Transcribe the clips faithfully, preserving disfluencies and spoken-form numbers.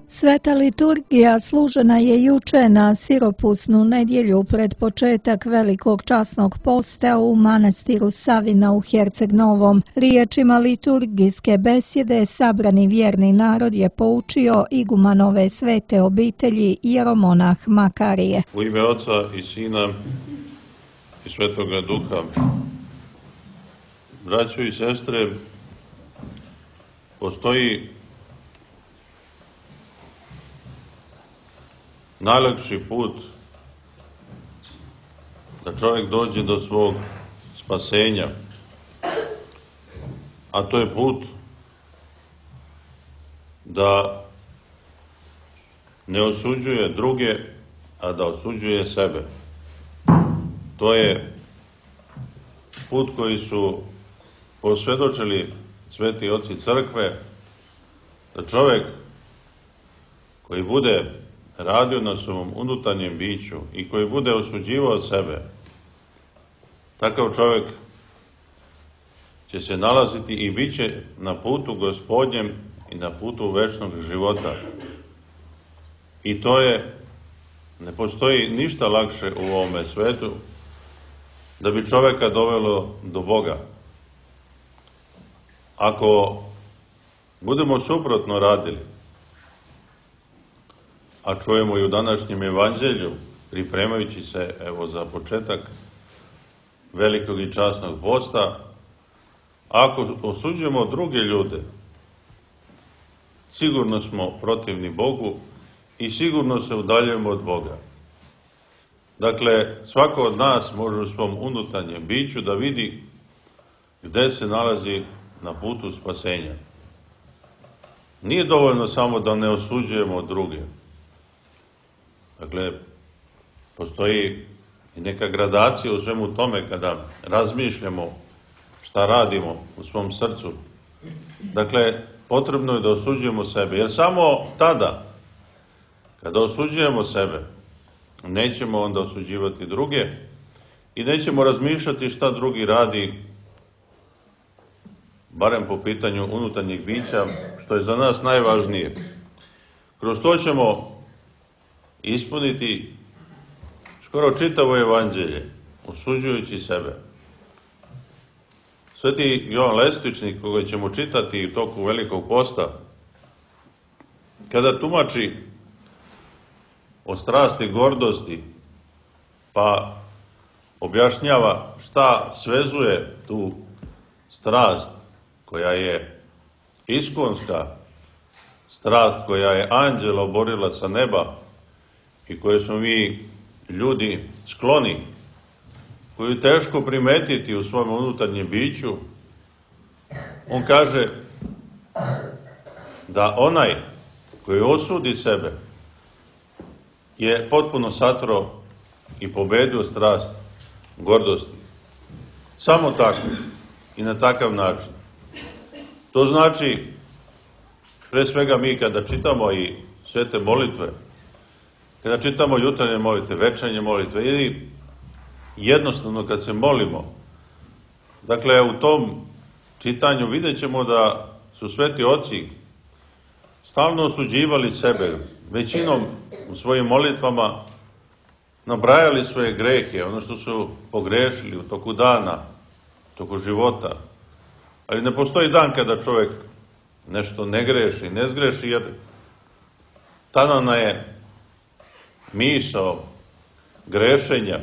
Sveta liturgija služena je juče na siropusnu nedjelju pred početak velikog časnog posta u manastiru Savina u Herceg Novom. Riječima liturgijske besjede sabrani vjerni narod je poučio igumanove svete obitelji jeromonah Makarije. U ime Oca i Sina i Svetoga Duha. Braćo i sestre, postoji najlakši put da čovjek dođe do svog spasenja, a to je put da ne osuđuje druge, a da osuđuje sebe. To je put koji su posvjedočili sveti oci crkve, da čovjek koji bude radio na svom unutarnjem biću i koji bude osuđivao sebe, takav čovjek će se nalaziti i bit će na putu Gospodnjem i na putu večnog života. I to je, ne postoji ništa lakše u ovome svetu da bi čovjeka dovelo do Boga. Ako budemo suprotno radili, a čujemo i u današnjem evanđelju, pripremajući se evo za početak velikog i časnog posta, ako osuđujemo druge ljude, sigurno smo protivni Bogu i sigurno se udaljujemo od Boga. Dakle, svako od nas može u svom unutarnjem biću da vidi gde se nalazi na putu spasenja. Nije dovoljno samo da ne osuđujemo druge. Dakle, postoji i neka gradacija u svemu tome kada razmišljamo šta radimo u svom srcu. Dakle, potrebno je da osuđujemo sebe, jer samo tada, kada osuđujemo sebe, nećemo onda osuđivati druge i nećemo razmišljati šta drugi radi, barem po pitanju unutarnjeg bića, što je za nas najvažnije. Kroz to ćemo ispuniti skoro čitavo evanđelje, osuđujući sebe. Sveti Jovan Lestvičnik, koga ćemo čitati u toku Velikog posta, kada tumači o strasti gordosti, pa objašnjava šta svezuje tu strast koja je iskonska, strast koja je anđela oborila sa neba i koje smo mi ljudi skloni, koju teško primetiti u svom unutarnjem biću, on kaže da onaj koji osudi sebe je potpuno satro i pobedio strast gordosti. Samo tako i na takav način. To znači, pre svega mi kada čitamo i svete molitve, kada čitamo jutarnje molitve, večernje molitve ili jednostavno kad se molimo, dakle u tom čitanju vidjet ćemo da su sveti oci stalno osuđivali sebe, većinom u svojim molitvama nabrajali svoje grehe, ono što su pogrešili u toku dana, u toku života. Ali ne postoji dan kada čovjek nešto ne greši, ne zgreši, jer tada je misao grešenja.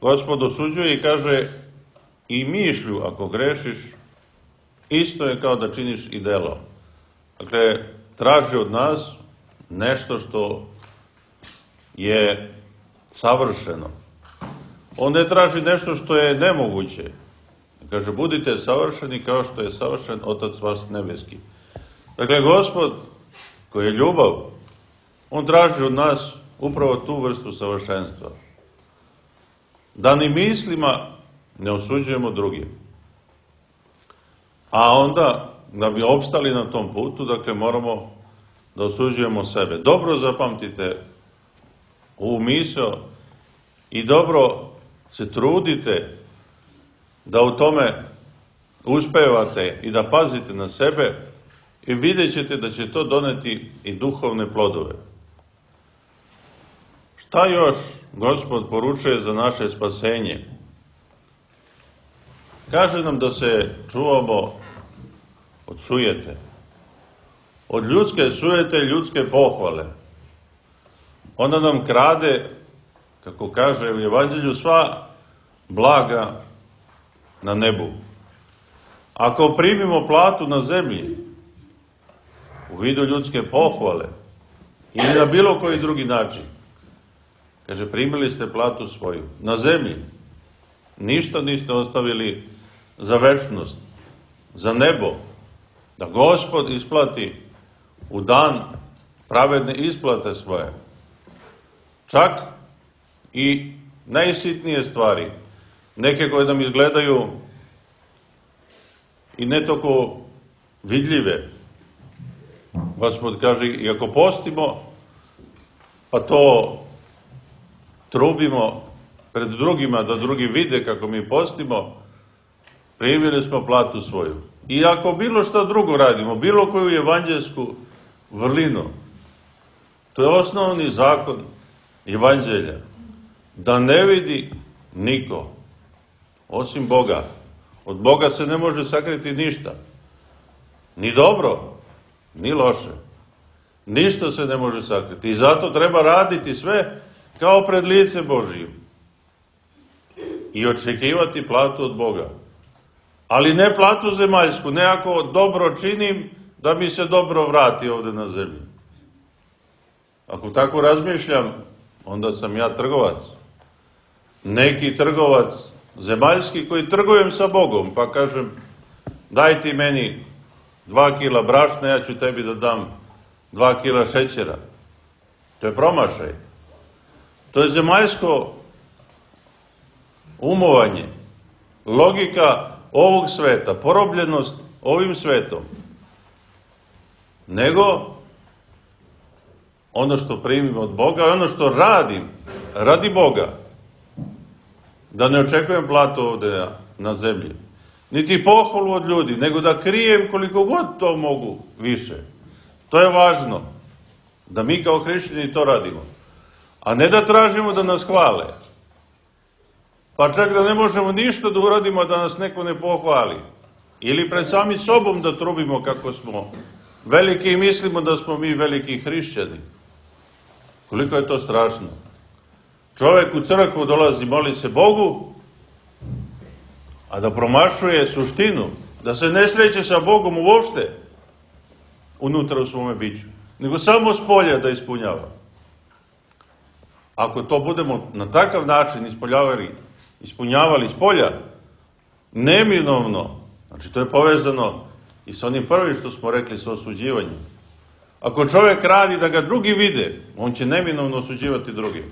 Gospod osuđuje i kaže i mišlju ako grešiš, isto je kao da činiš i delo. Dakle, traži od nas nešto što je savršeno. On ne traži nešto što je nemoguće. Kaže, budite savršeni kao što je savršen Otac vas nebeski. Dakle, Gospod, koji je ljubav, on traži od nas upravo tu vrstu savršenstva. Da ni mislima ne osuđujemo druge. A onda, da bi opstali na tom putu, dakle, moramo da osuđujemo sebe. Dobro zapamtite ovu misao i dobro se trudite da u tome uspevate i da pazite na sebe, i vidjet ćete da će to doneti i duhovne plodove. Šta još Gospod poručuje za naše spasenje? Kaže nam da se čuvamo od sujete, od ljudske sujete i ljudske pohvale. Ona nam krade, kako kaže u Evanđelju, sva blaga na nebu. Ako primimo platu na zemlji, u vidu ljudske pohvale, ili na bilo koji drugi način, kaže, primili ste platu svoju na zemlji, ništa niste ostavili za večnost, za nebo, da Gospod isplati u dan pravedne isplate svoje. Čak i najsitnije stvari, neke koje nam izgledaju i ne toliko vidljive. Gospod kaže, i ako postimo, pa to trubimo pred drugima, da drugi vide kako mi postimo, primili smo platu svoju. I ako bilo što drugo radimo, bilo koju evanđelsku vrlinu, to je osnovni zakon evanđelja, da ne vidi niko, osim Boga. Od Boga se ne može sakriti ništa. Ni dobro, ni loše. Ništa se ne može sakriti. I zato treba raditi sve kao pred lice Božijim. I očekivati platu od Boga. Ali ne platu zemaljsku, ne ako dobro činim, da mi se dobro vrati ovde na zemlji. Ako tako razmišljam, onda sam ja trgovac. Neki trgovac zemaljski koji trgujem sa Bogom, pa kažem, daj ti meni dva kila brašna, ja ću tebi da dam dva kila šećera. To je promašaj. To je zemaljsko umovanje, logika ovog sveta, porobljenost ovim svetom. Nego ono što primim od Boga, ono što radim, radi Boga, da ne očekujem platu ovde na zemlji, niti pohvalu od ljudi, nego da krijem koliko god to mogu više. To je važno, da mi kao hrišćani to radimo, a ne da tražimo da nas hvale, pa čak da ne možemo ništa da uradimo da nas neko ne pohvali, ili pred sami sobom da trubimo kako smo veliki i mislimo da smo mi veliki hrišćani. Koliko je to strašno. Čovek u crkvu dolazi, moli se Bogu, a da promašuje suštinu, da se ne sreće sa Bogom uopšte unutra u svome biću, nego samo s polja da ispunjava. Ako to budemo na takav način ispoljavali, ispunjavali s polja, neminovno, znači to je povezano i sa onim prvim što smo rekli, sa osuđivanjem. Ako čovjek radi da ga drugi vide, on će neminovno osuđivati drugi.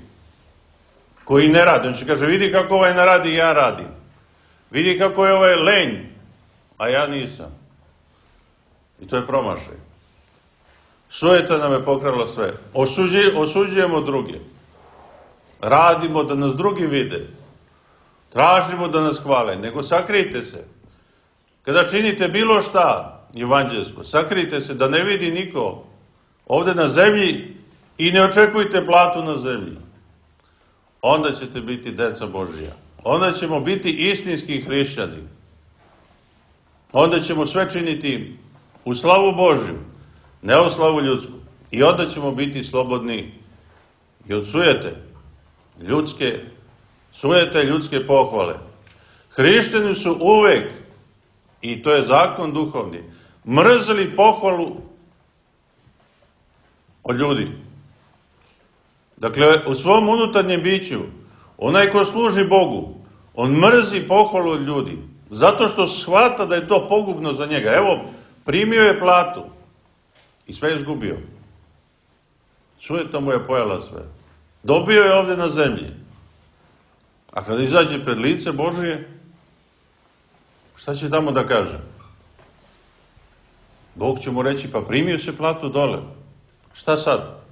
Koji ne radi, on će kaže, vidi kako ovaj ne radi, ja radim. Vidi kako je ovaj lenj, a ja nisam. I to je promašaj. Sujeta nam je pokrala sve. Osuđi, osuđujemo druge. Radimo da nas drugi vide. Tražimo da nas hvale, nego sakrijte se. Kada činite bilo šta evanđelsko, sakrijte se da ne vidi niko ovde na zemlji i ne očekujte platu na zemlji. Onda ćete biti deca Božija. Onda ćemo biti istinski hrišćani. Onda ćemo sve činiti u slavu Božju, ne u slavu ljudsku. I onda ćemo biti slobodni i od sujete, ljudske, sujete ljudske pohvale. Hrišćani su uvek, i to je zakon duhovni, mrzeli pohvalu od ljudi. Dakle, u svom unutarnjem biću, onaj ko služi Bogu, on mrzi pohvalu od ljudi, zato što shvata da je to pogubno za njega. Evo, primio je platu i sve je izgubio. Sujeta mu je pojela sve. Dobio je ovde na zemlji. A kada izađe pred lice Božije, šta će tamo da kaže? Bog će mu reći, pa primio se platu dole. Šta sad?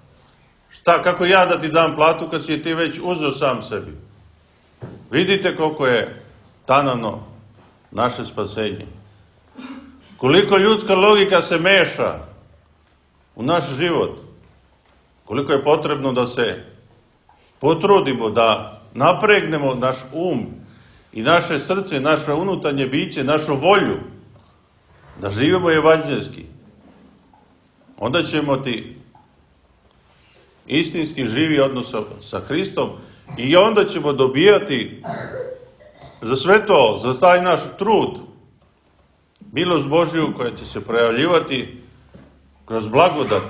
Šta, kako ja da ti dam platu kad si ti već uzeo sam sebi? Vidite koliko je tanano naše spasenje. koliko ljudska logika se meša u naš život, koliko je potrebno da se potrudimo, da napregnemo naš um i naše srce, naše unutarnje biće, našu volju, da živimo evanđeljski. Onda ćemo ti istinski živi odnos sa Hristom i onda ćemo dobijati za sve to, za taj naš trud, milost Božju koja će se projavljivati kroz blagodat.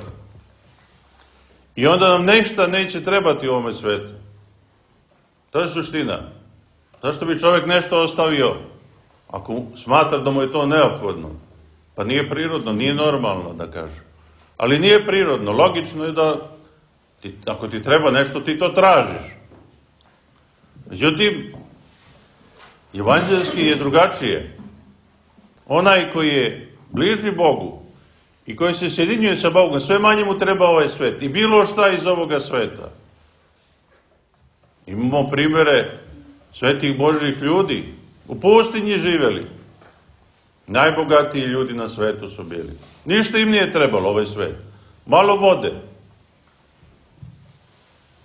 I onda nam nešto neće trebati u ovome svetu. To je suština. Zašto bi čovjek nešto ostavio ako smatra da mu je to neophodno? Pa nije prirodno, nije normalno da kaže. Ali nije prirodno, logično je da ti, ako ti treba nešto, ti to tražiš. Međutim, evanđelski je drugačije. Onaj koji je bliži Bogu i koji se sjedinjuje sa Bogom, sve manje mu treba ovaj svet i bilo šta iz ovoga sveta. Imamo primere svetih Božjih ljudi, u pustinji živjeli. Najbogatiji ljudi na svetu su bili. Ništa im nije trebalo ovaj svet. Malo vode.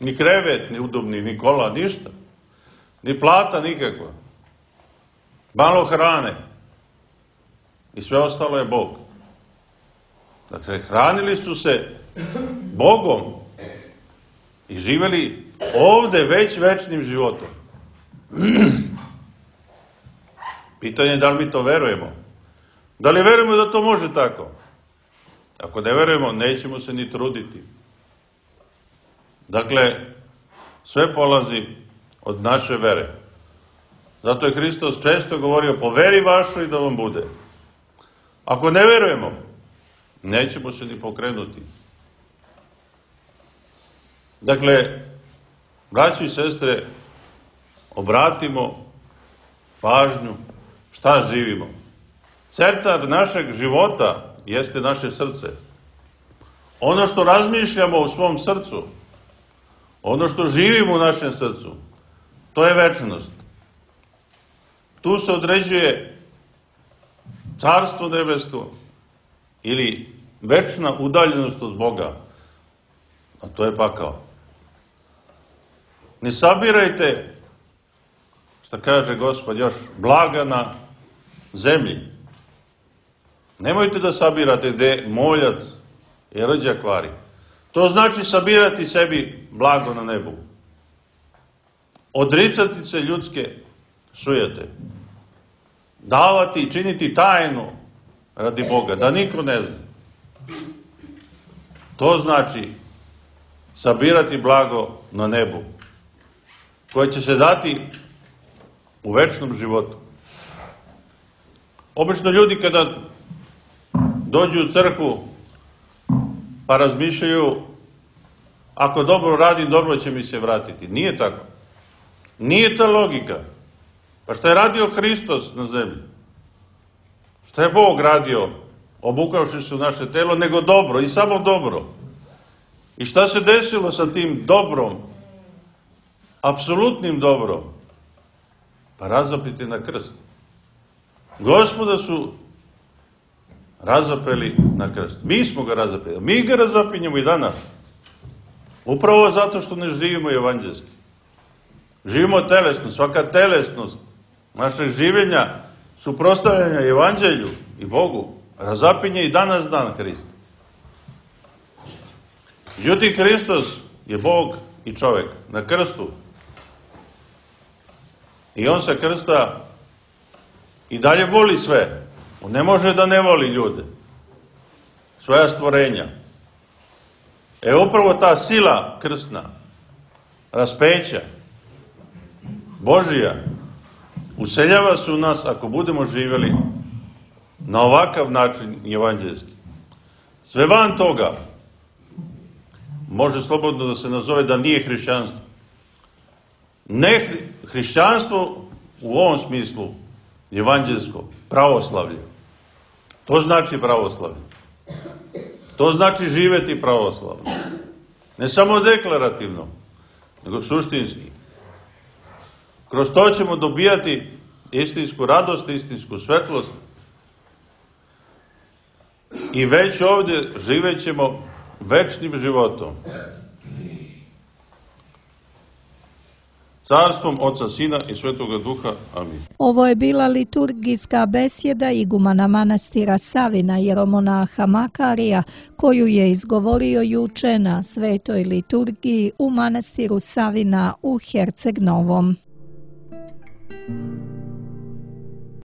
Ni krevet, ni udobni, ni kola, ništa. Ni plata nikakva. Malo hrane. I sve ostalo je Bog. Dakle, hranili su se Bogom i živjeli ovde već večnim životom. Pitanje je da li mi to verujemo. Da li verujemo da to može tako? Ako ne verujemo, nećemo se ni truditi. Dakle, sve polazi od naše vere. Zato je Hristos često govorio, po veri vašoj da vam bude. Ako ne verujemo, nećemo se ni pokrenuti. Dakle, braći i sestre, obratimo pažnju šta živimo. Centar našeg života jeste naše srce. Ono što razmišljamo u svom srcu, ono što živimo u našem srcu, to je večnost. Tu se određuje carstvo nebesko ili večna udaljenost od Boga, a to je pakao. Ne sabirajte, šta kaže Gospod, još blaga na zemlji. Nemojte da sabirate gde moljac i rđa kvari. To znači sabirati sebi blago na nebu. Odricati se ljudske sujete. Davati i činiti tajnu radi Boga, da niko ne zna. To znači sabirati blago na nebu, koje će se dati u večnom životu. Obično ljudi kada dođu u crkvu pa razmišljaju, ako dobro radim, dobro će mi se vratiti. Nije tako. Nije ta logika. Pa šta je radio Hristos na zemlji? Šta je Bog radio, obukavši se u naše telo, nego dobro i samo dobro. I šta se desilo sa tim dobrom, apsolutnim dobrom? Pa razapiti na krst. Gospoda su razapeli na krst. Mi smo ga razapeli. Mi ga razapinjemo i danas. Upravo zato što ne živimo evanđelski. Živimo telesno. Svaka telesnost našeg življenja, suprotstavljanja evanđelju i Bogu, razapinje i danas dan Hrist. Međutim, Hristos je Bog i čovjek na krstu. I on sa krsta i dalje voli sve. On ne može da ne voli ljude, svoja stvorenja. E upravo ta sila krstna, raspeća, Božija, useljava se u nas ako budemo živjeli na ovakav način evanđelski. Sve van toga može slobodno da se nazove da nije hrišćanstvo. Ne hrišćanstvo u ovom smislu evanđelsko, pravoslavlje. To znači pravoslavlje. To znači živjeti pravoslavno. Ne samo deklarativno, nego suštinski. Kroz to ćemo dobijati istinsku radost, istinsku svetlost. i već ovdje živet ćemo večnim životom. Carstvom Oca, Sina i Svetoga Duha. Amin. Ovo je bila liturgijska besjeda igumana manastira Savina jeromonaha Makarija, koju je izgovorio juče na svetoj liturgiji u manastiru Savina u Herceg Novom.